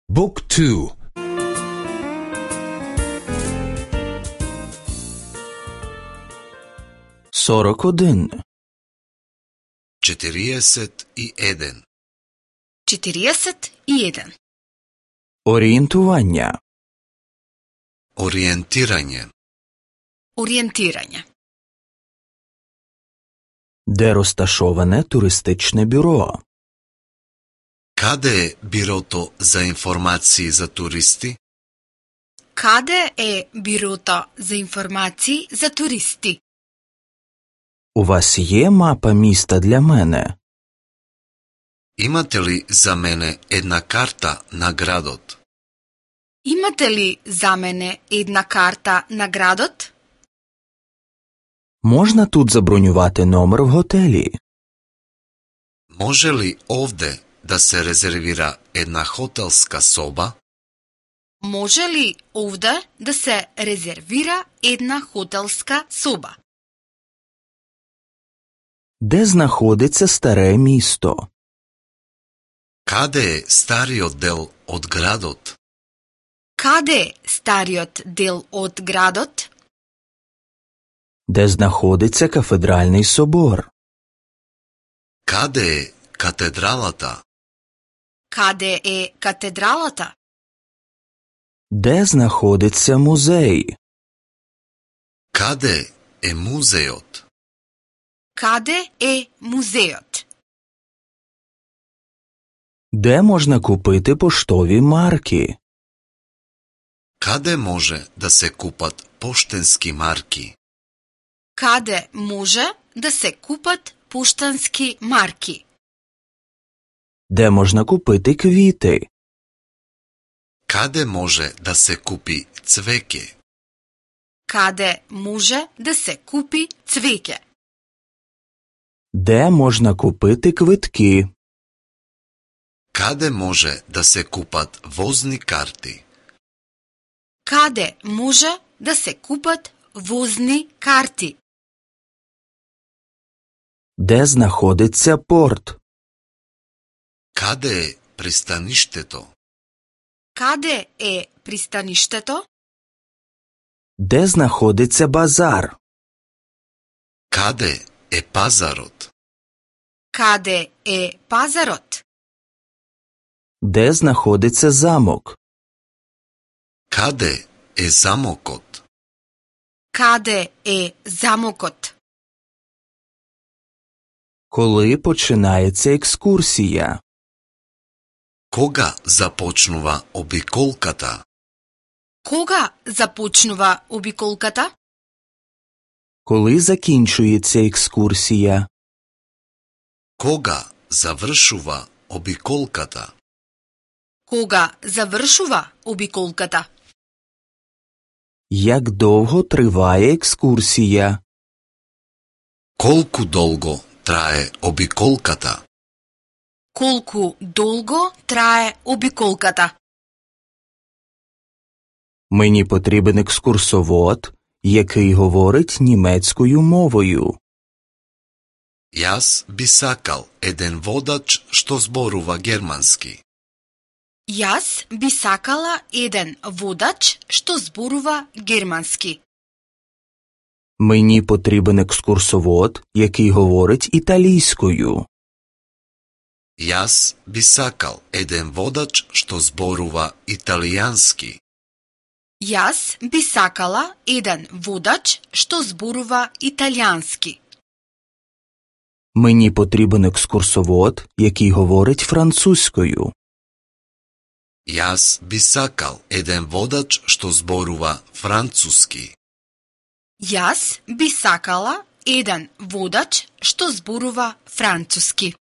Book 2. Сорок один. 41. 41. Орієнтування. Ориентирање. Орієнтирање. Де розташоване туристичне бюро? Каде е бирото за информации за туристи? Каде е бирото за информации за туристи? У вас є мапа міста для мене? Имате ли за мене една карта на градот? Имате ли за мене една карта на градот? Можна тут забронювати номер в готелі? Може ли овде да се резервира една хотелска соба? Може ли овде да се резервира една хотелска соба? Де знаходиться старе місто? Каде е стариот дел од градот? Каде е стариот дел од градот? Де знаходиться кафедральний собор? Каде е катедралата? Каде е катедралата? Де знаходиться музей? Каде е музеот? Каде е музеот? Де можна купити поштові марки? Каде може да се купат поштенски марки? Каде може да се купат поштански марки? Де можна купити квіти? Каде може да се купи цвеќе? Каде може да се купи цвеќе? Де можна купити квитки? Каде може да се купат возни карти? Каде може да се купат возни карти? Де знаходиться порт? Каде е пристаништето? Каде е пристаништето? Де знаходиться базар? Каде е пазарот? Каде е пазарот? Де знаходиться замок? Каде е замокот? Каде е замокот? Коли починається екскурсія? Кога започнува обиколката? Кога започнува обиколката? Коли закінчується екскурсія? Кога завршува обиколката? Кога завршува обиколката? Як довго триває екскурсія? Колку долго трае обиколката? Колку долго трае обиколката? Мені потрібен екскурсовод, який говорить німецькою мовою. Јас би сакал еден водач што зборува германски. Јас би сакала еден водач што зборува германски. Мені потрібен екскурсовод, який говорить італійською. Јас би сакал еден водач што зборува италијански. Јас би сакала еден водач што зборува италијански. Мені потрібен екскурсовод, який говорить французькою. Јас би сакал еден водач што зборува француски. Јас би сакала еден водач што зборува француски.